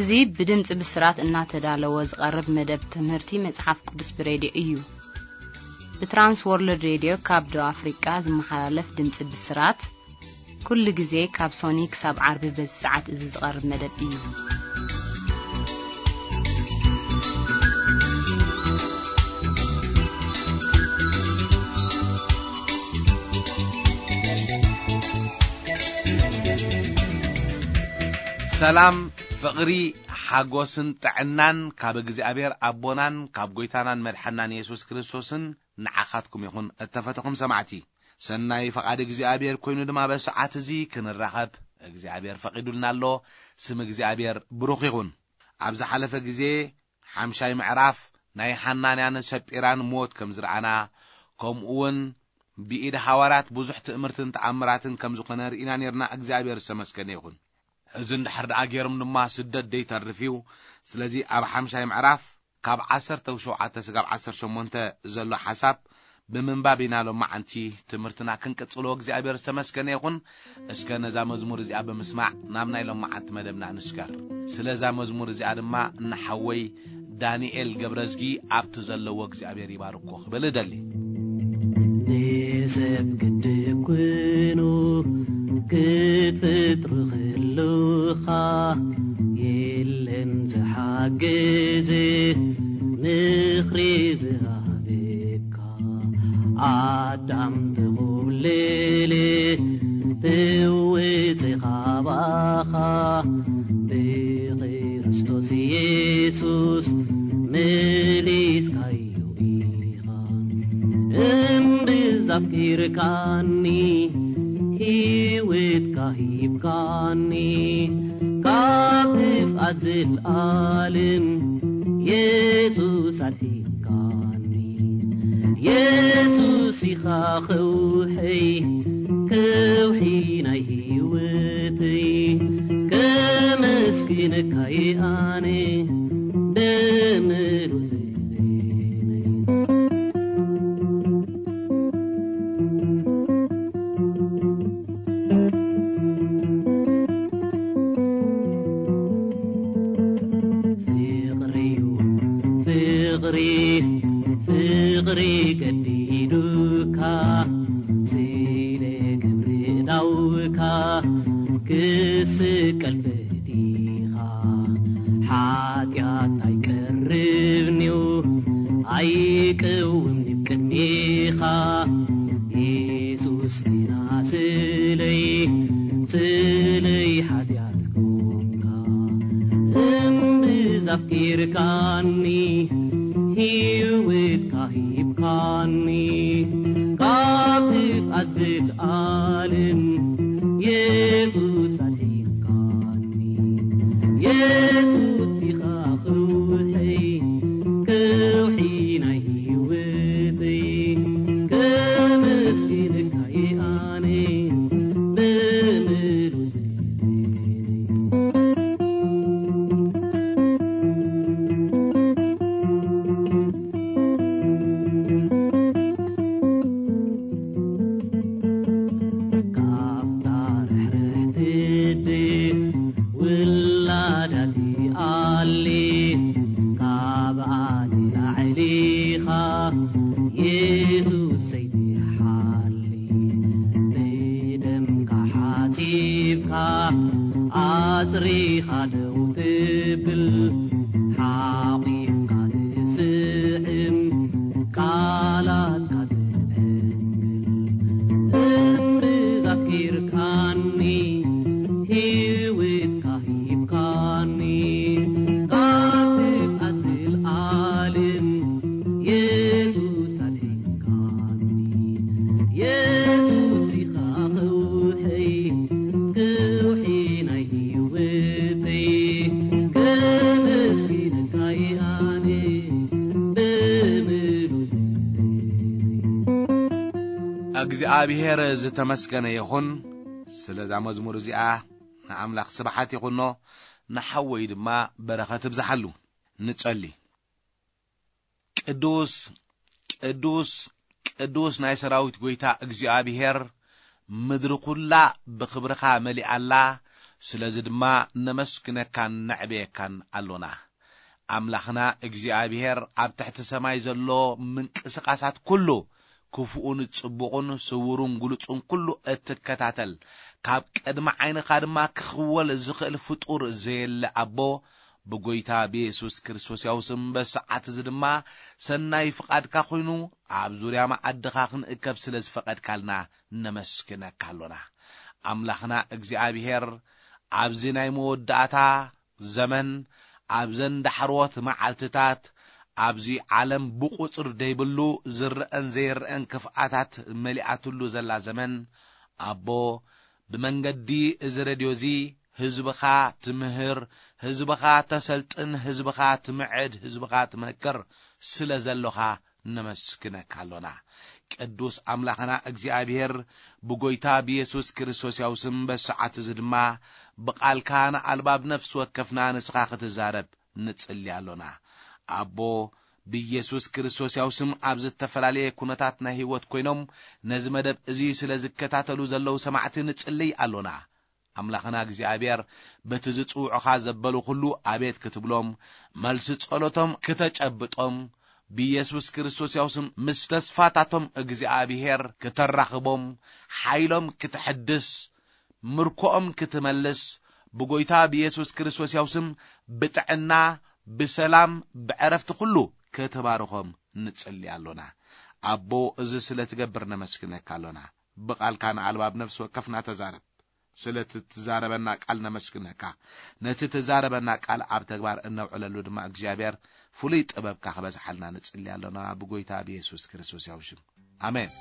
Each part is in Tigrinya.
እዚ ብድምጺ ብስራት እናተዳለወ ዝቐርብ መደብ ትምህርቲ መጽሓፍ ቅዱስ ብሬድዮ እዩ። ብትራንስ ወርልድ ሬድዮ ካብ ደቡብ ኣፍሪቃ ዝመሓላለፍ ድምጺ ብስራት፣ ኩሉ ግዜ ካብ ሶኒ ክሳብ ዓርቢ በዚ ሰዓት እዚ ዝቐርብ መደብ እዩ። ሰላም፣ ፍቕሪ፣ ሓጎስን ጥዕናን ካብ እግዚኣብሔር ኣቦናን ካብ ጐይታናን መድሓናን የሱስ ክርስቶስን ንዓኻትኩም ይኹን፣ እተፈተኹም ሰማዕቲ። ሰናይ ፈቓድ እግዚኣብሔር ኮይኑ ድማ በዚ ሰዓት እዚ ክንራኸብ እግዚኣብሔር ፈቒዱልና ኣሎ። ስም እግዚኣብሔር ብሩኽ ይኹን። ኣብ ዝሓለፈ ግዜ ሓምሻይ ምዕራፍ ናይ ሓናንያን ሰጲራን ሞት ከም ዝረኣና፣ ከምኡ እውን ብኢድ ሃዋርያት ብዙሕ ትእምርትን ተኣምራትን ከም ዝኾነ ርኢና ነርና። እግዚኣብሔር ዝተመስገነ ይኹን። እዚ እንድሕር ደኣ ገይሮም ድማ ስደት ደይተርፍ እዩ። ስለዚ ኣብ ሓምሻይ ምዕራፍ ካብ ዓሰርተ ሸውዓተ ስጋብ ዓሰርተ ሸሞንተ ዘሎ ሓሳብ ብምንባብ ኢና ሎማዓንቲ ትምህርትና ክንቅጽሎ። እግዚኣብሔር ዝተመስገነ ይኹን። እስከ ነዛ መዝሙር እዚኣ ብምስማዕ ናብ ናይ ሎማዓንቲ መደብና ንስገር። ስለዛ መዝሙር እዚኣ ድማ ንሓወይ ዳንኤል ገብረዝጊ ኣብቲ ዘለዎ እግዚኣብሔር ይባርኮ ክብል እደሊ። ንሰብ ግድብ ኮይኑ ክትፈጥሩ ከለኻ የለን ዝሓግዝ ምኽሪ ዝሃበካ። ኣዳም ተኾብለለ ተወፀ ካባኻ ብክርስቶስ ኢየሱስ መሊስካዮ ኢኻ። እምብዛ ኣፍቂርካኒ፣ ህይወትካ ሂብካኒ፣ ካብ ክፍኣት ዘልኣለም የሱስ ኣድሒንካኒ። የሱስ ኢኻ ከውሐይ፣ ከውሒ ናይ ህይወተይ፣ ከመስግነካ እየ ኣነ ብምሉእ ፍቕሪ፣ ፍቕሪ፣ ፍቕሪ ገዲዱካ፣ ስለ ግብሪ ዕዳውካ ክስቀል ፈቲኻ። ሓጢኣት ኣይቀርብንዩ፣ ኣይቅውምንዩ ቅድሜኻ። የሱስ ግና ስለይ፣ ስለይ ሓጢኣት ኮንካ። እምብዛ ኣፍቂርካኒ፣ ህይወትካ ሂብካኒ፣ ካብ ክፍኣት ዘልኣለም የሱስ ኣድሒንካኒ። የሱስ ኢኻ ከውሐይ፣ ከውሒ ናይ ህይወተይ፣ ከመስግነካ እየ ኣነ ብምሉእ ካብታ ርሕርሕቲ ድብ ውላዳ ትኣሊ፣ ካብኣ ንላዕሊ ኢኻ የሱሰይ ትሓሊ። ብደምካ ሓጺብካ ኣጽሪኻ ደው ትብል፣ ሓቒፍካ ትስዕም ቃላትካ ትዕንግል። እምብዛ ኣፍቂርካኒ፣ ህይወትካ ሂብካኒ፣ ካብ ክፍኣት ዘልኣለም የሱስ ኣድሒንካኒ። የሱስ ኢኻ ከውሐይ፣ ከውሒ ናይ ህይወተይ፣ ከመስግነካ እየ ኣነ ብምሉእ ዘይብለይ። እግዚኣብሔር ዝተመስገነ ይኹን። ስለዛ መዝሙር እዚኣ ንኣምላኽ ስብሓት ይኹኖ፣ ንሓወይ ድማ በረኸት ይብዝሓሉ። ንጸሊ። ቅዱስ፣ ቅዱስ፣ ቅዱስ ናይ ሰራዊት ጐይታ እግዚኣብሔር፣ ምድሪ ኵላ ብኽብርኻ መሊኣላ፣ ስለዚ ድማ ነመስግነካን ነዕብየካን ኣሎና። ኣምላኽና እግዚኣብሔር ኣብ ትሕቲ ሰማይ ዘሎ ምንቅስቓሳት ኩሉ፣ ክፉኡን ጽቡቑን፣ ስውሩን ግሉጹን ኩሉ እትከታተል፣ ካብ ቅድሚ ዓይንኻ ድማ ክኽወል ዝኽእል ፍጡር ዘየለ ኣቦ፣ ብጎይታ ብየሱስ ክርስቶስ ያው ስም በሰዓት እዚ ድማ ሰናይ ፍቓድካ ኮይኑ ኣብ ዙርያ መኣድኻ ክንእከብ ስለ ዝፈቐድካልና ነመስግነካ ኣሎና። ኣምላኽና እግዚኣብሔር ኣብዚ ናይ መወዳእታ ዘመን ኣብዘን ዳሕሮት መዓልትታት ኣብዚ ዓለም ብቑጽር ደይብሉ ዝረአን ዘይረአን ክፍኣታት መሊኣትሉ ዘላ ዘመን ኣቦ ብመንገዲ እዚ ረድዮ እዚ ህዝብኻ ትምህር፣ ህዝብኻ ተሰልጥን፣ ህዝብኻ ትምዕድ፣ ህዝብኻ ትመክር ስለ ዘሎኻ ነመስግነካ ኣሎና። ቅዱስ ኣምላኽና እግዚኣብሔር ብጎይታ ብየሱስ ክርስቶስ ያው ስም በሰዓት እዚ ድማ ብቓልካ ንኣልባብ ነፍሲ ወከፍና ንስኻ ክትዛረብ ንጽሊ ኣሎና። ኣቦ ብየሱስ ክርስቶስ ያው ስም ኣብ ዝተፈላለየ ኩነታት ናይ ህይወት ኮይኖም ነዚ መደብ እዚ ስለ ዝከታተሉ ዘለዉ ሰማዕቲ ንጽልይ ኣሎና። ኣምላኽና እግዚኣብሔር በቲ ዝጽውዑኻ ዘበሉ ኩሉ ኣቤት ክትብሎም፣ መልሲ ጸሎቶም ክተጨብጦም፣ ብየሱስ ክርስቶስ ያው ስም ምስ ተስፋታቶም እግዚኣብሔር ክተራኽቦም፣ ሓይሎም ክትሕድስ፣ ምርኮኦም ክትመልስ፣ ብጎይታ ብየሱስ ክርስቶስ ያው ስም ብጥዕና፣ ብሰላም፣ ብዕረፍቲ ኩሉ ክትባርኾም ንጽሊ ኣሎና። ኣቦ፣ እዚ ስለ ትገብር ነመስግነካ ኣሎና። ብቓልካ ንኣልባብ ነፍሲ ወከፍና ተዛረብ። ስለ እቲ ትዛረበና ቃል ነመስግነካ። ነቲ ትዛረበና ቃል ኣብ ተግባር እነውዕለሉ ድማ እግዚኣብሔር ፍሉይ ጥበብካ ክበዝሓልና ንጽሊ ኣሎና ብጎይታ ብየሱስ ክርስቶስ ያው ሽም። ኣሜን።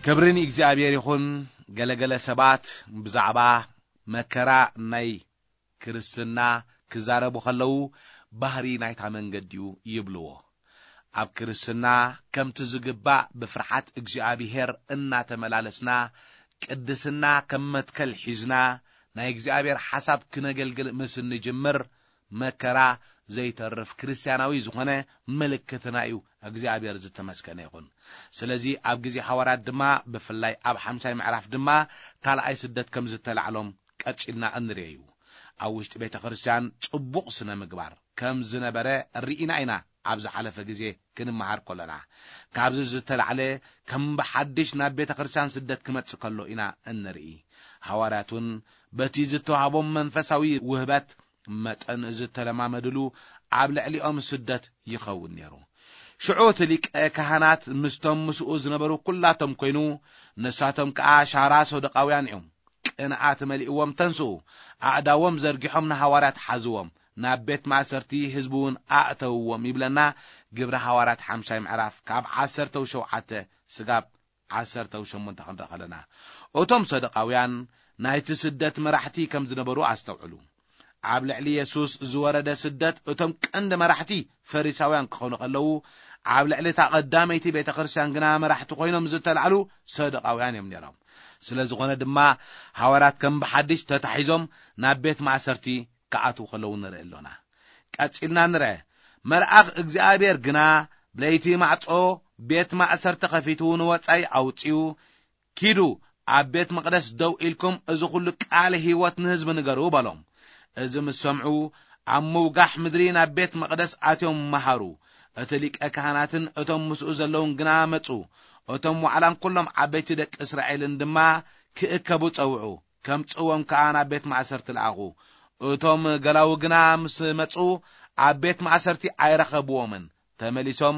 ክብሪ ንእግዚኣብሔር ይኹን። ገለገለ ሰባት ብዛዕባ መከራ ናይ ክርስትና ክዛረቡ ከለዉ፣ ባህሪ ናይታ መንገዲ እዩ ይብልዎ። ኣብ ክርስትና ከምቲ ዝግባእ ብፍርሓት እግዚኣብሔር እናተመላለስና፣ ቅድስና ከም መትከል ሒዝና፣ ናይ እግዚኣብሔር ሓሳብ ክነገልግል ምስ እንጅምር፣ መከራ ዘይተርፍ ክርስትያናዊ ዝኾነ ምልክትና እዩ። እግዚኣብሔር ዝተመስገነ ይኹን። ስለዚ ኣብ ግዜ ሃዋርያት ድማ፣ ብፍላይ ኣብ ሓምሻይ ምዕራፍ ድማ፣ ካልኣይ ስደት ከም ዝተላዕሎም ቀጺልና እንርእዮ እዩ። ኣብ ውሽጢ ቤተ ክርስቲያን ጽቡቕ ስነ ምግባር ከም ዝነበረ ርኢና ኢና። ኣብ ዝሓለፈ ግዜ ክንመሃር ከለና፣ ካብዚ ዝተላዕለ ከም ብሓድሽ ናብ ቤተ ክርስቲያን ስደት ክመጽእ ከሎ ኢና እንርኢ። ሃዋርያት እውን በቲ ዝተዋህቦም መንፈሳዊ ውህበት መጠን ዝተለማመድሉ ኣብ ልዕሊኦም ስደት ይኸውን ነይሩ። ሽዑ እቲ ሊቀ ካህናት ምስቶም ምስኡ ዝነበሩ ኩላቶም ኮይኑ፣ ንሳቶም ከኣ ሻራ ሰዱቃውያን እዮም። ቅንኣት መሊእዎም ተንስኡ፣ ኣእዳዎም ዘርጊሖም ንሃዋርያት ሓዝዎም፣ ናብ ቤት ማእሰርቲ ህዝቢ እውን ኣእተውዎም ይብለና ግብሪ ሃዋርያት ሓምሻይ ምዕራፍ ካብ ዓሰርተው ሸውዓተ ስጋብ ዓሰርተው ሸሞንተ ክንርኢ ከለና። እቶም ሰዱቃውያን ናይቲ ስደት መራሕቲ ከም ዝነበሩ ኣስተውዕሉ። ኣብ ልዕሊ የሱስ ዝወረደ ስደት እቶም ቀንዲ መራሕቲ ፈሪሳውያን ክኾኑ ከለዉ፣ ኣብ ልዕሊ እታ ቀዳመይቲ ቤተ ክርስቲያን ግና መራሕቲ ኮይኖም ዝተላዕሉ ሰዱቃውያን እዮም ነይሮም። ስለ ዝኾነ ድማ ሃዋርያት ከም ብሓድሽ ተታሒዞም ናብ ቤት ማእሰርቲ ክኣትዉ ከለዉ ንርኢ ኣሎና። ቀጺልና ንርአ። መልኣኽ እግዚኣብሔር ግና ብለይቲ ማዕጾ ቤት ማእሰርቲ ከፊቱ ንወጻኢ ኣውጺኡ፣ "ኪዱ ኣብ ቤት መቕደስ ደው ኢልኩም እዚ ኹሉ ቃል ህይወት ንህዝቢ ንገሩ" በሎም። እዚ ምስ ሰምዑ ኣብ ምውጋሕ ምድሪ ናብ ቤት መቕደስ ኣትዮም መሃሩ። እቲ ሊቀ ካህናትን እቶም ምስኡ ዘለዉን ግና መጹ። እቶም ዋዕላን ኩሎም ዓበይቲ ደቂ እስራኤልን ድማ ክእከቡ ጸውዑ። ከምጽእዎም ከኣ ናብ ቤት ማእሰርቲ ለኣኹ። እቶም ገላዉ ግና ምስ መጹ ኣብ ቤት ማእሰርቲ ኣይረኸብዎምን። ተመሊሶም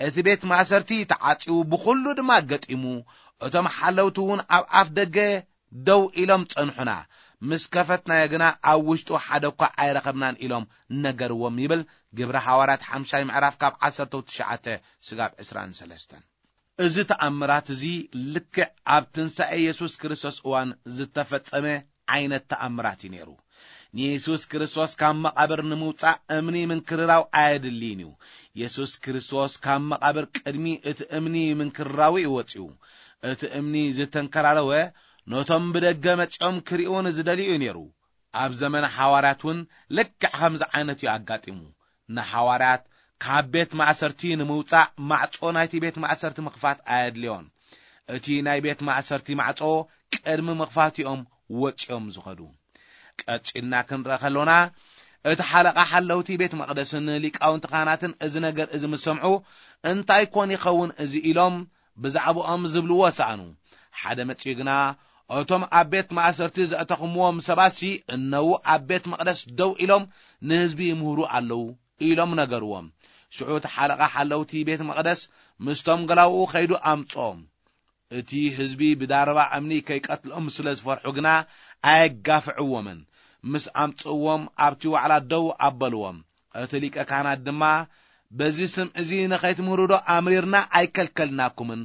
እቲ ቤት ማእሰርቲ ተዓጺዉ ብኹሉ ድማ ገጢሙ። እቶም ሓለውቲ እውን ኣብ ኣፍ ደገ ደው ኢሎም ጸንሑና። ምስ ከፈትናዮ ግና ኣብ ውሽጡ ሓደ እኳ ኣይረኸብናን ኢሎም ነገርዎም ይብል ግብሪ ሃዋርያት ሓምሻይ ምዕራፍ ካብ ዓሰርተው ትሽዓተ ስጋብ ዕስራን ሰለስተን። እዚ ተኣምራት እዚ ልክዕ ኣብ ትንሳኤ የሱስ ክርስቶስ እዋን ዝተፈጸመ ዓይነት ተኣምራት እዩ ነይሩ። ንየሱስ ክርስቶስ ካብ መቓብር ንምውጻእ እምኒ ምንክርራው ኣየድልይን እዩ። የሱስ ክርስቶስ ካብ መቓብር ቅድሚ እቲ እምኒ ምንክርራው እዩ ወጺኡ። እቲ እምኒ ዝተንከራረወ ነቶም ብደገ መጺኦም ክርእዩ ንዝደልዩ እዩ ነይሩ። ኣብ ዘመነ ሓዋርያት እውን ልክዕ ከምዚ ዓይነት እዩ ኣጋጢሙ። ንሓዋርያት ካብ ቤት ማእሰርቲ ንምውጻእ ማዕጾ ናይቲ ቤት ማእሰርቲ ምኽፋት ኣየድልዮን። እቲ ናይ ቤት ማእሰርቲ ማዕጾ ቅድሚ ምኽፋት እዮም ወጺኦም ዝኸዱ። ቀጺልና ክንረአ ከሎና፣ እቲ ሓለቓ ሓለውቲ ቤት መቕደስን ሊቃውንቲ ካህናትን እዚ ነገር እዚ ምስ ሰምዑ፣ "እንታይ ኮን ይኸውን እዚ?" ኢሎም ብዛዕባኦም ዝብልዎ ሰኣኑ። ሓደ መጺኡ ግና፣ "እቶም ኣብ ቤት ማእሰርቲ ዘእተኹምዎም ሰባትሲ እነዉ ኣብ ቤት መቕደስ ደው ኢሎም ንህዝቢ ይምህሩ ኣለዉ" ኢሎም ነገርዎም። ሽዑ እቲ ሓለቓ ሓለውቲ ቤት መቕደስ ምስቶም ገላውኡ ከይዱ ኣምጽኦም። እቲ ህዝቢ ብዳረባ እምኒ ከይቀትልኦም ስለ ዝፈርሑ ግና ኣየጋፍዕዎምን። ምስ ኣምጽእዎም ኣብቲ ዋዕላ ደው ኣበልዎም። እቲ ሊቀ ካህናት ድማ፣ "በዚ ስም እዚ ንኸይትምህሩ ዶ ኣምሪርና ኣይከልከልናኩምን?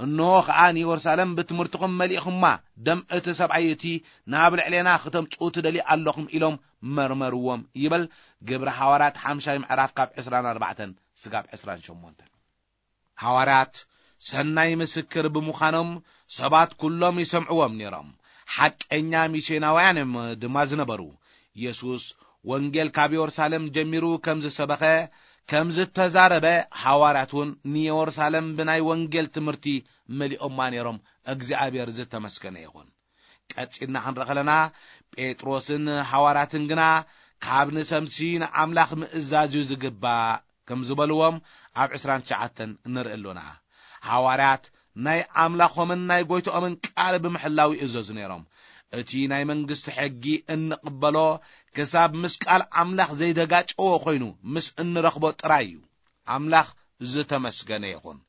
እንሆ ኸኣ ንየሩሳሌም ብትምህርትኹም መሊእኹማ፣ ደም እቲ ሰብኣይ እቲ ናብ ልዕሌና ክተምጽኡ ትደልዩ ኣለኹም" ኢሎም መርመርዎም ይብል ግብሪ ሃዋርያት ሓምሻይ ምዕራፍ ካብ ዕስራን ኣርባዕተን ስጋብ ዕስራን ሸሞንተን። ሃዋርያት ሰናይ ምስክር ብምዃኖም ሰባት ኩሎም ይሰምዕዎም ነይሮም። ሓቀኛ ሚስዮናውያን እዮም ድማ ዝነበሩ። የሱስ ወንጌል ካብ የሩሳሌም ጀሚሩ ከም ዝሰበኸ፣ ከም ዝተዛረበ፣ ሃዋርያት እውን ንየሩሳሌም ብናይ ወንጌል ትምህርቲ መሊኦማ ነይሮም። እግዚኣብሔር ዝተመስገነ ይኹን። ቀጺልና ክንርኢ ከለና፣ ጴጥሮስን ሃዋርያትን ግና ካብ ንሰምሲ ንኣምላኽ ምእዛዝ እዩ ዝግባእ ከም ዝበልዎም ኣብ ዕስራን ትሽዓተን ንርኢ ኣሎና። ሃዋርያት ናይ ኣምላኾምን ናይ ጐይትኦምን ቃል ብምሕላው ይእዘዙ ነይሮም። እቲ ናይ መንግስቲ ሕጊ እንቕበሎ ክሳብ ምስ ቃል ኣምላኽ ዘይደጋጨዎ ኮይኑ ምስ እንረኽቦ ጥራይ እዩ። ኣምላኽ ዝተመስገነ ይኹን።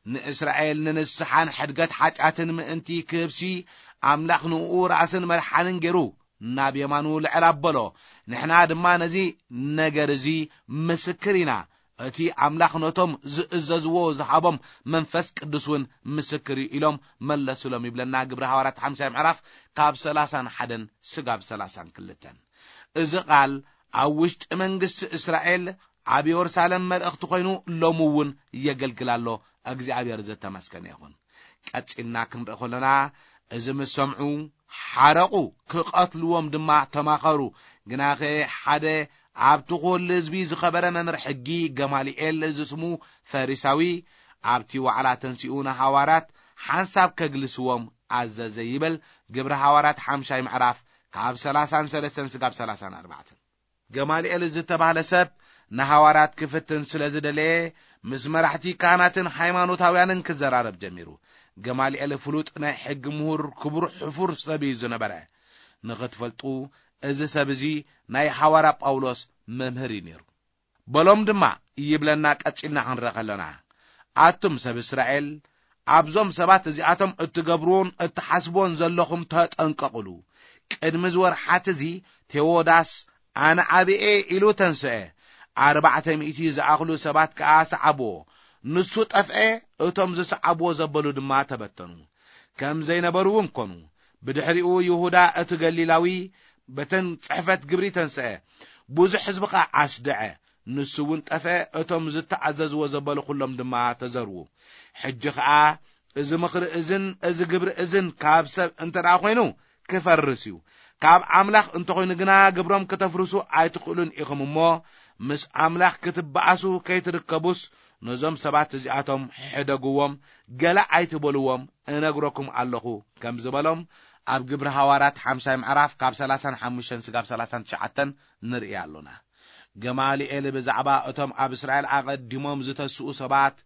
ንእስራኤል ንንስሓን ሕድገት ሓጢኣትን ምእንቲ ክህብሲ፣ ኣምላኽ ንእኡ ራእስን መድሓንን ገይሩ ናብ የማኑ ልዕል ኣበሎ። ንሕና ድማ ነዚ ነገር እዚ ምስክር ኢና። እቲ ኣምላኽ ነቶም ዝእዘዝዎ ዝሃቦም መንፈስ ቅዱስ እውን ምስክር እዩ ኢሎም መለሱሎም ይብለና ግብሪ ሃዋርያት ሓምሻይ ምዕራፍ ካብ ሰላሳን ሓደን ስጋብ ሰላሳን ክልተን። እዚ ቃል ኣብ ውሽጢ መንግስቲ እስራኤል ኣብ የሩሳሌም መልእኽቲ ኮይኑ ሎሚ እውን የገልግል ኣሎ። እግዚኣብሔር ዝተመስገነ ይኹን። ቀጺልና ክንርኢ ከሎና፣ እዚ ምስ ሰምዑ ሓረቑ፣ ክቐትልዎም ድማ ተማኸሩ። ግናኸ ሓደ ኣብቲ ኩሉ ህዝቢ ዝኸበረ መምህር ሕጊ ገማልኤል ዝስሙ ፈሪሳዊ ኣብቲ ዋዕላ ተንሲኡ ንሃዋርያት ሓንሳብ ከግልስዎም ኣዘዘ ይብል ግብሪ ሃዋርያት ሓምሻይ ምዕራፍ ካብ ሰላሳን ሰለስተን ስጋብ ሰላሳን ኣርባዕተን። ገማልኤል ዝተባህለ ሰብ ንሃዋርያት ክፍትን ስለ ዝደለየ፣ ምስ መራሕቲ ካህናትን ሃይማኖታውያንን ክዘራረብ ጀሚሩ። ገማልኤል ፍሉጥ ናይ ሕጊ ምሁር፣ ክቡር ሕፉር ሰብ እዩ ዝነበረ። ንኽትፈልጡ፣ እዚ ሰብ እዚ ናይ ሃዋርያ ጳውሎስ መምህር እዩ ነይሩ። በሎም ድማ፣ ይብለና ቀጺልና ክንርኢ ከለና፣ ኣቱም ሰብ እስራኤል፣ ኣብዞም ሰባት እዚኣቶም እትገብርዎን እትሓስብዎን ዘለኹም ተጠንቀቑሉ። ቅድሚ እዚ ወርሓት እዚ ቴዎዳስ ኣነ ዓብየ ኢሉ ተንስአ። ኣርባዕተ ሚእቲ ዝኣኽሉ ሰባት ከኣ ሰዓብዎ። ንሱ ጠፍአ፣ እቶም ዝሰዓብዎ ዘበሉ ድማ ተበተኑ። ከም ዘይነበሩ እውን ኮኑ። ብድሕሪኡ ይሁዳ እቲ ገሊላዊ በተን ጽሕፈት ግብሪ ተንስአ። ብዙሕ ህዝቢ ኸኣ ኣስድዐ። ንሱ እውን ጠፍአ፣ እቶም ዝተኣዘዝዎ ዘበሉ ኩሎም ድማ ተዘርዉ። ሕጂ ኸኣ እዚ ምኽሪ እዝን እዚ ግብሪ እዝን ካብ ሰብ እንተ ደኣ ኾይኑ ክፈርስ እዩ። ካብ ኣምላኽ እንተ ኾይኑ ግና ግብሮም ክተፍርሱ ኣይትኽእሉን ኢኹም እሞ፣ ምስ ኣምላኽ ክትበኣሱ ከይትርከቡስ ነዞም ሰባት እዚኣቶም ሕደግዎም፣ ገለ ኣይትበልዎም፣ እነግረኩም ኣለኹ ከም ዝበሎም ኣብ ግብሪ ሃዋርያት ሓምሻይ ምዕራፍ ካብ ሰላሳን ሓሙሽተን ስጋብ ሰላሳን ትሽዓተን ንርኢ ኣሎና። ገማልኤል ብዛዕባ እቶም ኣብ እስራኤል ኣቐዲሞም ዝተስኡ ሰባት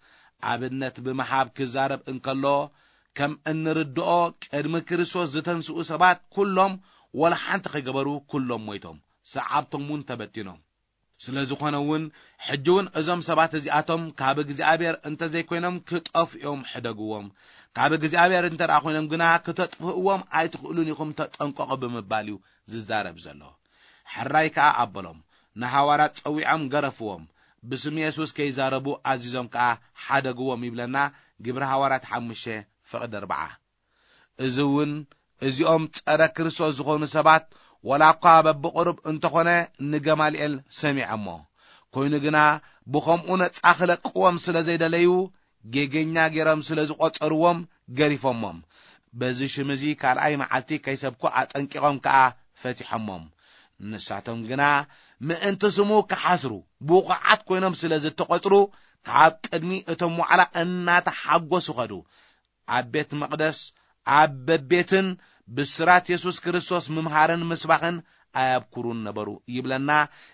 ኣብነት ብምሃብ ክዛረብ እንከሎ፣ ከም እንርድኦ ቅድሚ ክርስቶስ ዝተንስኡ ሰባት ኩሎም ወላ ሓንቲ ከይገበሩ ኩሎም ሞይቶም፣ ሰዓብቶም እውን ተበቲኖም። ስለ ዝኾነ እውን ሕጂ እውን እዞም ሰባት እዚኣቶም ካብ እግዚኣብሔር እንተ ዘይኮይኖም ክጠፍኡ እዮም፣ ሕደግዎም። ካብ እግዚኣብሔር እንተ ደኣ ኮይኖም ግና ክተጥፍእዎም ኣይትኽእሉን ኢኹም፣ ተጠንቀቑ ብምባል እዩ ዝዛረብ ዘሎ። ሕራይ ከኣ ኣበሎም። ንሃዋርያት ጸዊዖም ገረፍዎም። ብስም የሱስ ከይዛረቡ ኣዚዞም ከኣ ሓደግዎም ይብለና ግብሪ ሃዋርያት ሓሙሽተ ፍቕዲ ኣርብዓ። እዚ እውን እዚኦም ጸረ ክርስቶስ ዝኾኑ ሰባት ወላ እኳ በብቕሩብ እንተኾነ ንገማልኤል ሰሚዖሞ። ኮይኑ ግና ብኸምኡ ነጻ ክለቅዎም ስለ ዘይደለዩ፣ ጌገኛ ገይሮም ስለ ዝቖጸርዎም ገሪፎሞም። በዚ ሽም እዚ ካልኣይ መዓልቲ ከይሰብኩ ኣጠንቂቖም ከኣ ፈቲሖሞም። ንሳቶም ግና ምእንቲ ስሙ ክሓስሩ ብቑዓት ኮይኖም ስለ ዝተቖጽሩ፣ ካብ ቅድሚ እቶም ዋዕላ እናተሓጎሱ ኸዱ። ኣብ ቤት መቕደስ ኣብ በቤትን ብስራት የሱስ ክርስቶስ ምምሃርን ምስባኽን ኣየብኩሩን ነበሩ ይብለና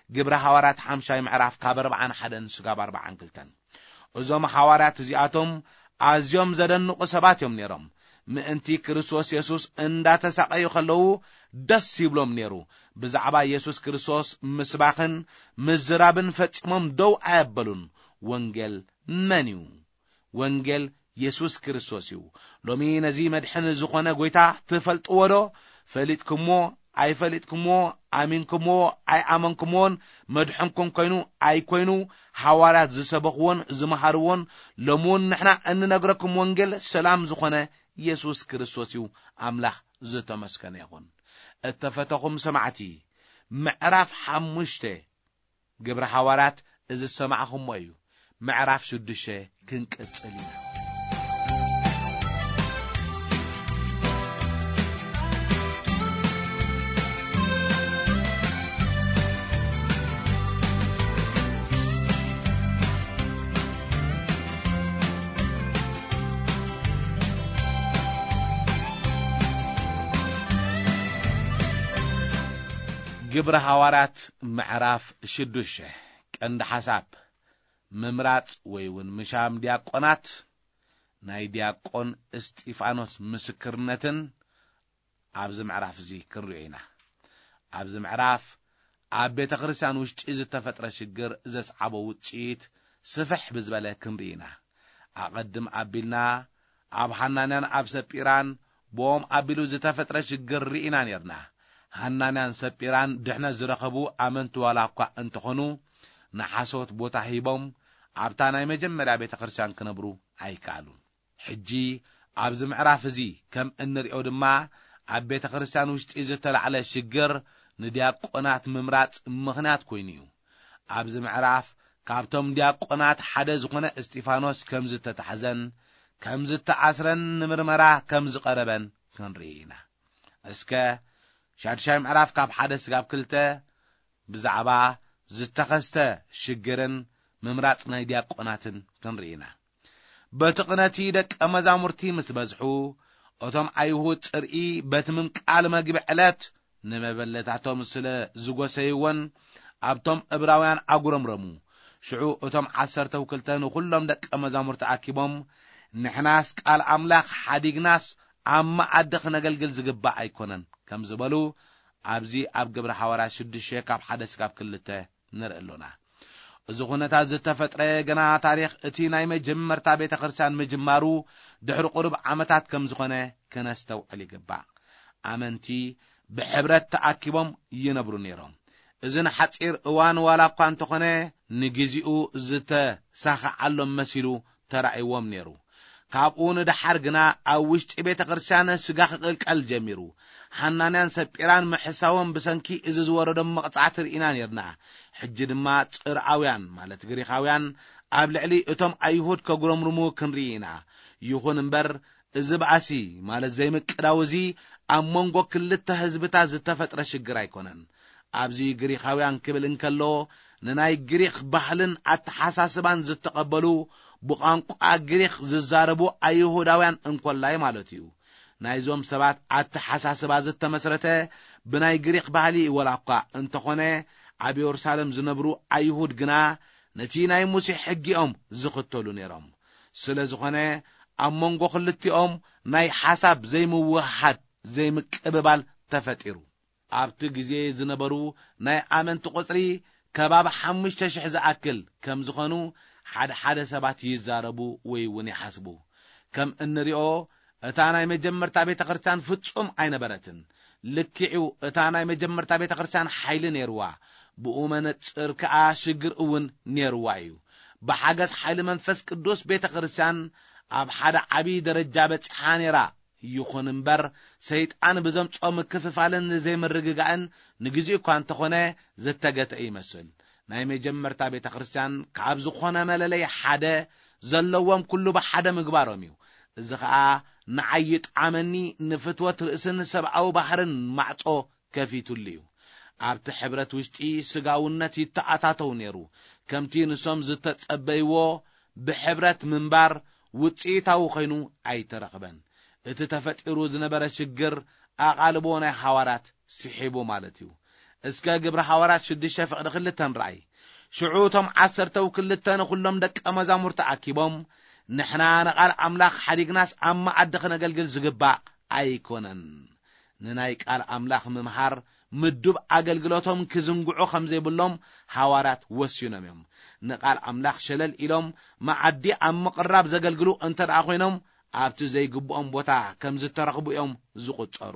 ግብረ ሃዋርያት ሓምሻይ ምዕራፍ ካብ ኣርባዓን ሓደን ስጋብ ኣርባዓን ክልተን። እዞም ሃዋርያት እዚኣቶም ኣዝዮም ዘደንቑ ሰባት እዮም ነይሮም። ምእንቲ ክርስቶስ የሱስ እንዳተሳቐዩ ከለዉ ደስ ይብሎም ነይሩ። ብዛዕባ የሱስ ክርስቶስ ምስባኽን ምዝራብን ፈጺሞም ደው ኣየበሉን። ወንጌል መን እዩ? ወንጌል የሱስ ክርስቶስ እዩ። ሎሚ ነዚ መድሕን ዝኾነ ጐይታ ትፈልጥዎ ዶ? ፈሊጥኩምዎ ኣይፈሊጥኩምዎ፣ ኣሚንኩምዎ ኣይኣመንኩምዎን፣ መድሕንኩም ኮይኑ ኣይኮይኑ፣ ሃዋርያት ዝሰበኽዎን ዝመሃርዎን፣ ሎሚ እውን ንሕና እንነግረኩም ወንጌል ሰላም ዝኾነ የሱስ ክርስቶስ እዩ። ኣምላኽ ዝተመስገነ ይኹን። እተፈተኹም ሰማዕቲ፣ ምዕራፍ ሓሙሽተ ግብረ ሃዋርያት እዚ ዝሰማዕኹሞ እዩ። ምዕራፍ ሽዱሽተ ክንቅጽል ኢና። ግብረ ሃዋርያት ምዕራፍ ሽዱሽተ። ቀንዲ ሓሳብ፣ ምምራጽ ወይ እውን ምሻም ዲያቆናት፣ ናይ ዲያቆን እስጢፋኖስ ምስክርነትን ኣብዚ ምዕራፍ እዚ ክንሪኦ ኢና። ኣብዚ ምዕራፍ ኣብ ቤተ ክርስቲያን ውሽጢ ዝተፈጥረ ሽግር ዘስዓቦ ውጽኢት ስፍሕ ብዝበለ ክንርኢ ኢና። ኣቐድም ኣቢልና ኣብ ሃናንያን ኣብ ሰጲራን ብኦም ኣቢሉ ዝተፈጥረ ሽግር ርኢና ኔርና። ሃናንያን ሰጲራን ድሕነት ዝረኸቡ ኣመንቲ ዋላ እኳ እንተኾኑ፣ ንሓሶት ቦታ ሂቦም ኣብታ ናይ መጀመርያ ቤተ ክርስቲያን ክነብሩ ኣይከኣሉን። ሕጂ ኣብዚ ምዕራፍ እዚ ከም እንሪኦ ድማ፣ ኣብ ቤተ ክርስቲያን ውሽጢ ዝተላዕለ ሽግር ንዲያቆናት ምምራጽ ምኽንያት ኮይኑ እዩ። ኣብዚ ምዕራፍ ካብቶም ዲያቆናት ሓደ ዝኾነ እስጢፋኖስ ከም ዝተታሕዘን ከም ዝተኣስረን ንምርመራ ከም ዝቐረበን ክንርኢ ኢና። እስከ ሻድሻይ ምዕራፍ ካብ ሓደ ስጋብ ክልተ ብዛዕባ ዝተኸስተ ሽግርን ምምራጽ ናይ ዲያቆናትን ክንርኢ ኢና። በቲ ቕነቲ ደቀ መዛሙርቲ ምስ በዝሑ፣ እቶም ኣይሁድ ጽርኢ በቲ ምምቃል መግቢ ዕለት ንመበለታቶም ስለ ዝጎሰይወን፣ ኣብቶም እብራውያን ኣጉረምረሙ። ሽዑ እቶም ዓሰርተው ክልተ ንኹሎም ደቀ መዛሙርቲ ኣኪቦም፣ "ንሕናስ ቃል ኣምላኽ ሓዲግናስ ኣብ መኣዲ ክነገልግል ዝግባእ ኣይኮነን" ከም ዝበሉ፣ ኣብዚ ኣብ ግብረ ሃዋርያት ሽዱሽተ ካብ ሓደ ስጋብ ክልተ ንርኢ ኣሎና። እዚ ኩነታት ዝተፈጥረ ገና ታሪኽ እቲ ናይ መጀመርታ ቤተ ክርስቲያን ምጅማሩ ድሕሪ ቁሩብ ዓመታት ከም ዝኾነ ክነስተውዕል ይግባእ። ኣመንቲ ብሕብረት ተኣኪቦም ይነብሩ ነይሮም። እዚ ንሓጺር እዋን ዋላ እኳ እንተኾነ፣ ንግዜኡ ዝተሳኸዓሎም መሲሉ ተራእይዎም ነይሩ። ካብኡ ንደሓር ግና ኣብ ውሽጢ ቤተ ክርስቲያን ስጋ ክቕልቀል ጀሚሩ። ሓናንያን ሰጲራን ምሕሳዎም ብሰንኪ እዚ ዝወረዶም መቕጻዕቲ ርኢና ነይርና። ሕጂ ድማ ጽርኣውያን፣ ማለት ግሪኻውያን፣ ኣብ ልዕሊ እቶም ኣይሁድ ከጉረምርሙ ክንርኢ ኢና። ይኹን እምበር፣ እዚ ባእሲ፣ ማለት ዘይምቅዳው እዚ፣ ኣብ መንጎ ክልተ ህዝብታት ዝተፈጥረ ሽግር ኣይኮነን። ኣብዚ ግሪኻውያን ክብል እንከሎ፣ ንናይ ግሪኽ ባህልን ኣተሓሳስባን ዝተቐበሉ፣ ብቋንቋ ግሪኽ ዝዛረቡ ኣይሁዳውያን እንኮላይ ማለት እዩ። ናይዞም ሰባት ኣተሓሳስባ ዝተመስረተ ብናይ ግሪኽ ባህሊ ወላ እኳ እንተኾነ፣ ኣብ የሩሳሌም ዝነብሩ ኣይሁድ ግና ነቲ ናይ ሙሴ ሕጊኦም ዝኽተሉ ነይሮም። ስለ ዝኾነ፣ ኣብ መንጎ ክልቲኦም ናይ ሓሳብ ዘይምውህሃድ፣ ዘይምቅብባል ተፈጢሩ። ኣብቲ ግዜ ዝነበሩ ናይ ኣመንቲ ቁጽሪ ከባቢ ሓሙሽተ ሽሕ ዝኣክል ከም ዝኾኑ ሓደ ሓደ ሰባት ይዛረቡ ወይ እውን ይሓስቡ። ከም እንሪኦ፣ እታ ናይ መጀመርታ ቤተ ክርስቲያን ፍጹም ኣይነበረትን። ልክዕ'ዩ፣ እታ ናይ መጀመርታ ቤተ ክርስቲያን ሓይሊ ነይርዋ፣ ብኡ መነጽር ከኣ ሽግር እውን ነይርዋ እዩ። ብሓገዝ ሓይሊ መንፈስ ቅዱስ ቤተ ክርስቲያን ኣብ ሓደ ዓቢ ደረጃ በጺሓ ነይራ ይኹን እምበር፣ ሰይጣን ብዘምጾ ምክፍፋልን ዘይምርግጋእን ንግዜኡ እኳ እንተኾነ ዝተገተ ይመስል። ናይ መጀመርታ ቤተ ክርስቲያን ካብ ዝኾነ መለለይ ሓደ ዘለዎም ኩሉ ብሓደ ምግባሮም እዩ። እዚ ኸኣ ንዓይ ይጥዓመኒ፣ ንፍትወት ርእስን ሰብኣዊ ባህርን ማዕጾ ከፊቱሉ እዩ። ኣብቲ ሕብረት ውሽጢ ስጋውነት ይተኣታተው ነይሩ። ከምቲ ንሶም ዝተጸበይዎ ብሕብረት ምንባር ውጽኢታዊ ኮይኑ ኣይተረኽበን። እቲ ተፈጢሩ ዝነበረ ሽግር ኣቓልቦ ናይ ሓዋርያት ስሒቡ ማለት እዩ። እስከ ግብሪ ሓዋርያት ሽዱሽተ ፍቕዲ ክልተ ንርኣይ። ሽዑ እቶም ዓሰርተው ክልተ ንኹሎም ደቀ መዛሙርቲ ኣኪቦም፣ ንሕና ንቓል ኣምላኽ ሓዲግናስ ኣብ መኣዲ ክነገልግል ዝግባእ ኣይኮነን። ንናይ ቃል ኣምላኽ ምምሃር ምዱብ ኣገልግሎቶም ክዝንግዑ ከም ዘይብሎም ሓዋርያት ወሲኖም እዮም። ንቃል ኣምላኽ ሸለል ኢሎም መዓዲ ኣብ ምቕራብ ዘገልግሉ እንተ ደኣ ኮይኖም፣ ኣብቲ ዘይግብኦም ቦታ ከም ዝተረኽቡ እዮም ዝቑጸሩ።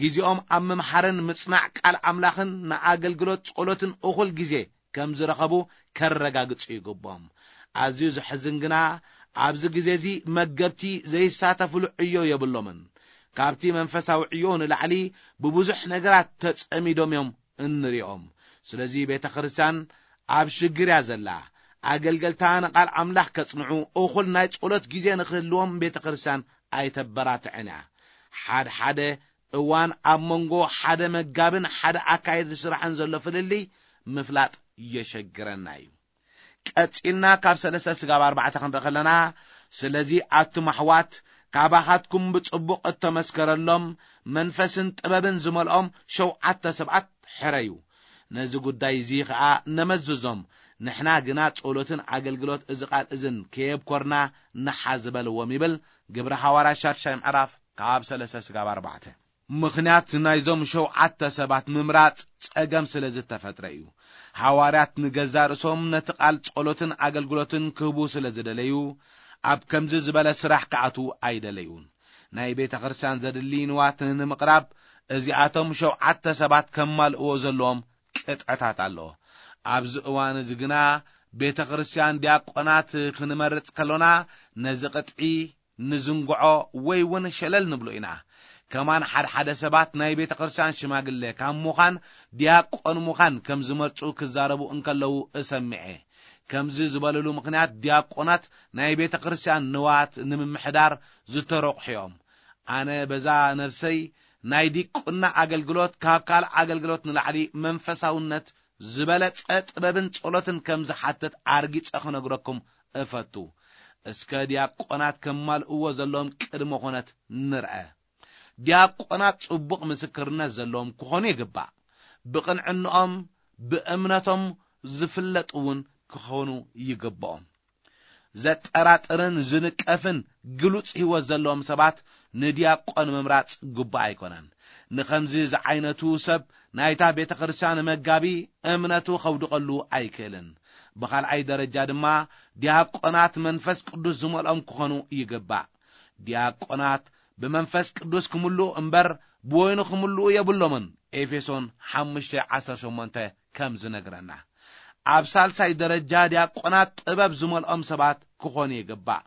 ግዜኦም ኣብ ምምሃርን ምጽናዕ ቃል ኣምላኽን ንኣገልግሎት ጸሎትን እኹል ግዜ ከም ዝረኸቡ ከረጋግጹ ይግብኦም። ኣዝዩ ዘሕዝን ግና፣ ኣብዚ ግዜ እዚ መገብቲ ዘይሳተፍሉ ዕዮ የብሎምን። ካብቲ መንፈሳዊ ዕዮ ንላዕሊ ብብዙሕ ነገራት ተጸሚዶም እዮም እንሪኦም። ስለዚ ቤተ ክርስቲያን ኣብ ሽግር እያ ዘላ። ኣገልገልታ ንቃል ኣምላኽ ከጽንዑ እኹል ናይ ጸሎት ግዜ ንክህልዎም ቤተ ክርስቲያን ኣይተበራትዕን እያ። ሓድሓደ እዋን ኣብ መንጎ ሓደ መጋብን ሓደ ኣካየዲ ስራሕን ዘሎ ፍልልይ ምፍላጥ የሸግረና እዩ። ቀጺልና ካብ ሰለስተ ስጋብ ኣርባዕተ ክንርኢ ከለና፣ ስለዚ ኣቱም ኣሕዋት፣ ካባኻትኩም ብጽቡቕ እተመስከረሎም መንፈስን ጥበብን ዝመልኦም ሸውዓተ ሰባት ሕረዩ። ነዚ ጉዳይ እዚ ኸኣ ነመዝዞም፣ ንሕና ግና ጸሎትን ኣገልግሎት እዚ ቃል እዝን ከየብኮርና ንሓዝ በልዎም ይብል ግብረ ሓዋርያት ሻድሻይ ምዕራፍ ካብ ሰለስተ ስጋብ ኣርባዕተ። ምኽንያት ናይዞም ሸውዓተ ሰባት ምምራጽ ጸገም ስለ ዝተፈጥረ እዩ። ሓዋርያት ንገዛ ርእሶም ነቲ ቃል ጸሎትን ኣገልግሎትን ክህቡ ስለ ዝደለዩ፣ ኣብ ከምዚ ዝበለ ስራሕ ክኣትዉ ኣይደለዩን። ናይ ቤተ ክርስቲያን ዘድሊ ንዋት ንምቕራብ እዚኣቶም ሸውዓተ ሰባት ከማልእዎ ዘለዎም ቅጥዕታት ኣሎ። ኣብዚ እዋን እዚ ግና ቤተ ክርስቲያን ዲያቆናት ክንመርጽ ከሎና ነዚ ቅጥዒ ንዝንግዖ ወይ እውን ሸለል ንብሎ ኢና። ከማን ሓድሓደ ሰባት ናይ ቤተ ክርስቲያን ሽማግለ ካብ ምዃን ዲያቆን ምዃን ከም ዝመርጹ ክዛረቡ እንከለዉ እሰምዐ። ከምዚ ዝበልሉ ምኽንያት ዲያቆናት ናይ ቤተ ክርስቲያን ንዋት ንምምሕዳር ዝተረቑሑ እዮም። ኣነ በዛ ነፍሰይ ናይ ዲቁና ኣገልግሎት ካብ ካልእ ኣገልግሎት ንላዕሊ መንፈሳውነት ዝበለጸ ጥበብን ጸሎትን ከም ዝሓትት ኣርጊጸ ክነግረኩም እፈቱ። እስከ ዲያቆናት ከማልእዎ ዘለዎም ቅድመ ኹነት ንርአ። ዲያቆናት ጽቡቕ ምስክርነት ዘለዎም ክኾኑ ይግባእ። ብቕንዕንኦም፣ ብእምነቶም ዝፍለጡ እውን ክኾኑ ይግብኦም። ዘጠራጥርን ዝንቀፍን ግሉጽ ህይወት ዘለዎም ሰባት ንዲያቆን ምምራጽ ግቡእ ኣይኮነን። ንኸምዚ ዝዓይነቱ ሰብ ናይታ ቤተ ክርስቲያን መጋቢ እምነቱ ከውድቐሉ ኣይክእልን። ብኻልኣይ ደረጃ ድማ ዲያቆናት መንፈስ ቅዱስ ዝመልኦም ክኾኑ ይግባእ። ዲያቆናት ብመንፈስ ቅዱስ ክምልኡ እምበር ብወይኑ ክምልኡ የብሎምን። ኤፌሶን ሓሙሽተ ዓሰርተ ሸሞንተ ከም ዝነግረና። ኣብ ሳልሳይ ደረጃ ዲያቆናት ጥበብ ዝመልኦም ሰባት ክኾኑ ይግባእ።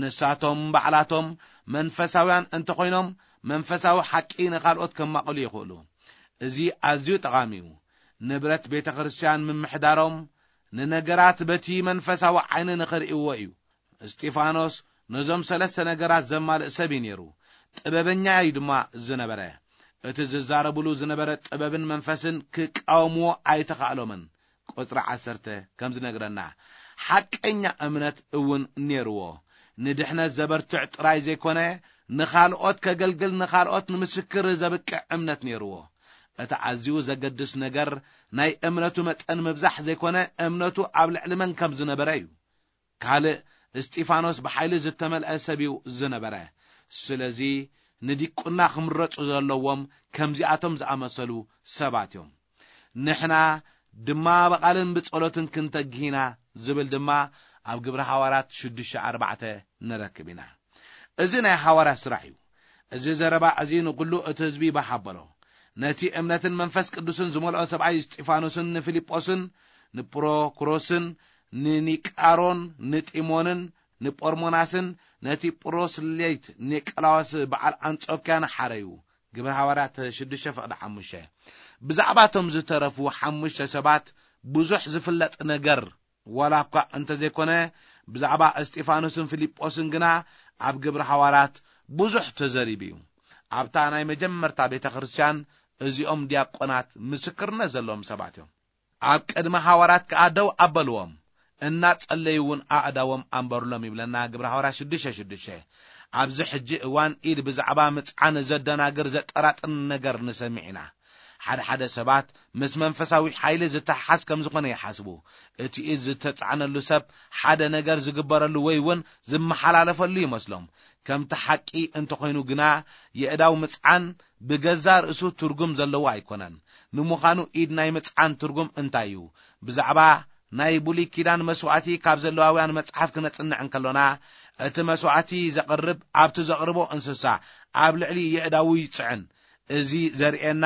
ንሳቶም ባዕላቶም መንፈሳውያን እንተኾይኖም መንፈሳዊ ሓቂ ንኻልኦት ከማቕሉ ይኽእሉ። እዚ ኣዝዩ ጠቓሚ እዩ። ንብረት ቤተ ክርስቲያን ምምሕዳሮም ንነገራት በቲ መንፈሳዊ ዓይኒ ንኽርእይዎ እዩ። እስጢፋኖስ ነዞም ሰለስተ ነገራት ዘማልእ ሰብ እዩ ነይሩ። ጥበበኛ እዩ ድማ ዝነበረ። እቲ ዝዛረብሉ ዝነበረ ጥበብን መንፈስን ክቃወምዎ ኣይተኻእሎምን። ቁጽሪ ዓሰርተ ከም ዝነግረና፣ ሓቀኛ እምነት እውን ነይርዎ። ንድሕነት ዘበርትዕ ጥራይ ዘይኮነ፣ ንኻልኦት ከገልግል፣ ንኻልኦት ንምስክር ዘብቅዕ እምነት ነይርዎ። እቲ ኣዝዩ ዘገድስ ነገር ናይ እምነቱ መጠን ምብዛሕ ዘይኮነ፣ እምነቱ ኣብ ልዕሊ መን ከም ዝነበረ እዩ። ካልእ፣ እስጢፋኖስ ብሓይሊ ዝተመልአ ሰብ እዩ ዝነበረ። ስለዚ ንዲቁና ክምረጹ ዘለዎም ከምዚኣቶም ዝኣመሰሉ ሰባት እዮም። ንሕና ድማ ብቓልን ብጸሎትን ክንተግህ ኢና ዝብል ድማ ኣብ ግብሪ ሃዋርያት ሽዱሽተ ኣርባዕተ ንረክብ ኢና። እዚ ናይ ሃዋርያት ስራሕ እዩ። እዚ ዘረባ እዚ ንኹሉ እቲ ህዝቢ ባህ ኣበሎ። ነቲ እምነትን መንፈስ ቅዱስን ዝመልኦ ሰብኣይ እስጢፋኖስን ንፊልጶስን ንፕሮክሮስን ንኒቃሮን ንጢሞንን ንጶርሞናስን ነቲ ጵሮስሌት ኒቆላዎስ በዓል ኣንጾክያ ንሓረዩ። ግብረ ሃዋርያት ሽዱሽተ ፍቕዲ ሓሙሽተ። ብዛዕባ እቶም ዝተረፉ ሓሙሽተ ሰባት ብዙሕ ዝፍለጥ ነገር ዋላ እኳ እንተዘይኮነ፣ ብዛዕባ እስጢፋኖስን ፊልጶስን ግና ኣብ ግብረ ሃዋርያት ብዙሕ ተዘሪቡ እዩ። ኣብታ ናይ መጀመርታ ቤተ ክርስቲያን እዚኦም ዲያቆናት ምስክርነት ዘለዎም ሰባት እዮም። ኣብ ቅድሚ ሃዋርያት ከኣ ደው ኣበልዎም፣ እናጸለዩ እውን ኣእዳዎም ኣንበሩሎም ይብለና ግብረ ሃዋርያት ሽዱሽተ ሽዱሽተ። ኣብዚ ሕጂ እዋን ኢድ ብዛዕባ ምጽዓን ዘደናግር ዘጠራጥር ነገር ንሰምዕ ኢና። ሓደ ሓደ ሰባት ምስ መንፈሳዊ ሓይሊ ዝተሓሓዝ ከም ዝኾነ ይሓስቡ። እቲ ኢድ ዝተጻዕነሉ ሰብ ሓደ ነገር ዝግበረሉ ወይ እውን ዝመሓላለፈሉ ይመስሎም። ከምቲ ሓቂ እንተኾይኑ ግና፣ የእዳው ምጽዓን ብገዛ ርእሱ ትርጉም ዘለዎ ኣይኮነን። ንምዃኑ ኢድ ናይ ምጽዓን ትርጉም እንታይ እዩ? ብዛዕባ ናይ ብሉይ ኪዳን መስዋዕቲ ካብ ዘለዋውያን መጽሓፍ ክነጽንዕ እንከሎና፣ እቲ መስዋዕቲ ዘቕርብ ኣብቲ ዘቕርቦ እንስሳ ኣብ ልዕሊ የእዳዉ ይጽዕን። እዚ ዘርእየና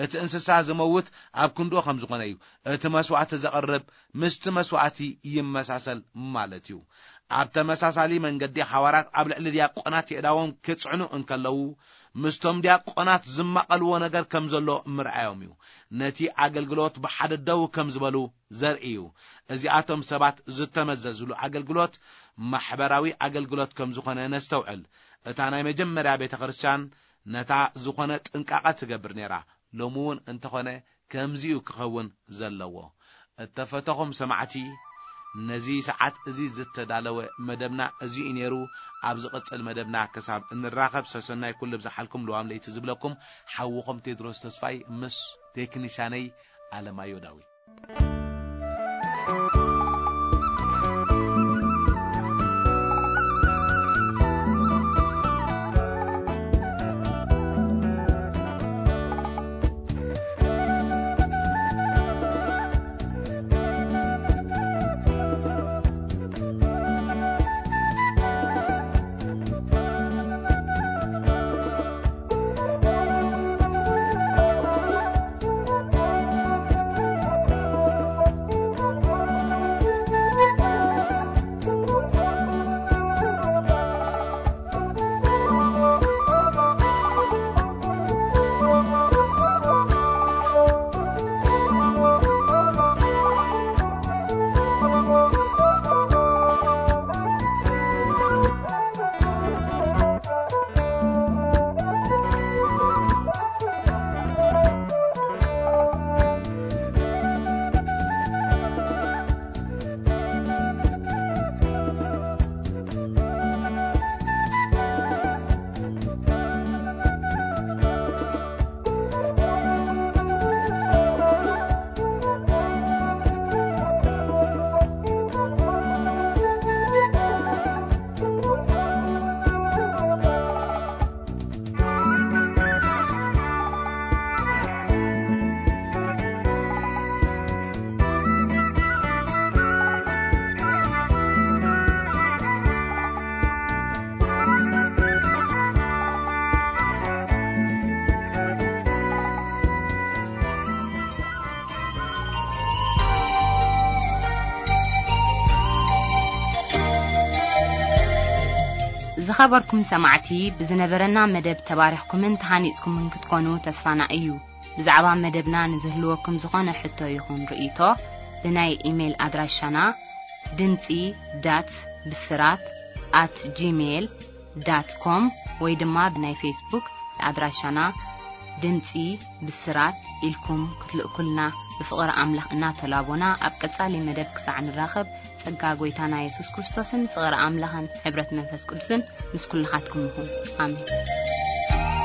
እቲ እንስሳ ዝመውት ኣብ ክንድኡ ከም ዝኾነ እዩ። እቲ መስዋዕቲ ዘቕርብ ምስቲ መስዋዕቲ ይመሳሰል ማለት እዩ። ኣብ ተመሳሳሊ መንገዲ፣ ሓዋርያት ኣብ ልዕሊ ዲያቆናት የእዳዎም ክጽዕኑ እንከለዉ፣ ምስቶም ዲያቆናት ዝማቐልዎ ነገር ከም ዘሎ ምርኣዮም እዩ። ነቲ ኣገልግሎት ብሓደ ደው ከም ዝበሉ ዘርኢ እዩ። እዚኣቶም ሰባት ዝተመዘዝሉ ኣገልግሎት ማሕበራዊ ኣገልግሎት ከም ዝኾነ ነስተውዕል። እታ ናይ መጀመርያ ቤተ ክርስቲያን ነታ ዝኾነ ጥንቃቐ ትገብር ነይራ። ሎሚ እውን እንተኾነ ከምዚ እዩ ክኸውን ዘለዎ። እተፈተኹም ሰማዕቲ፣ ነዚ ሰዓት እዚ ዝተዳለወ መደብና እዚ እዩ ነይሩ። ኣብ ዝቕጽል መደብና ክሳብ እንራኸብ፣ ሰሰናይ ኩሉ ብዝሓልኩም ልዋም ለይቲ ዝብለኩም ሓውኹም ቴድሮስ ተስፋይ ምስ ቴክኒሻነይ ኣለማዮ ዳዊት። ዝኸበርኩም ሰማዕቲ፣ ብዝነበረና መደብ ተባሪኽኩምን ተሃኒጽኩምን ክትኮኑ ተስፋና እዩ። ብዛዕባ መደብና ንዝህልወኩም ዝኾነ ሕቶ ይኹን ርእይቶ፣ ብናይ ኢሜይል ኣድራሻና ድምጺ ዳት ብስራት ኣት ጂሜይል ዳት ኮም ወይ ድማ ብናይ ፌስቡክ ኣድራሻና ድምጺ ብስራት ኢልኩም ክትልእኩልና ብፍቕሪ ኣምላኽ እናተላቦና፣ ኣብ ቀጻሊ መደብ ክሳዕ ንራኸብ፣ ጸጋ ጐይታና የሱስ ክርስቶስን ፍቕሪ ኣምላኽን ሕብረት መንፈስ ቅዱስን ምስ ኩልኻትኩም ይኹን። ኣሜን።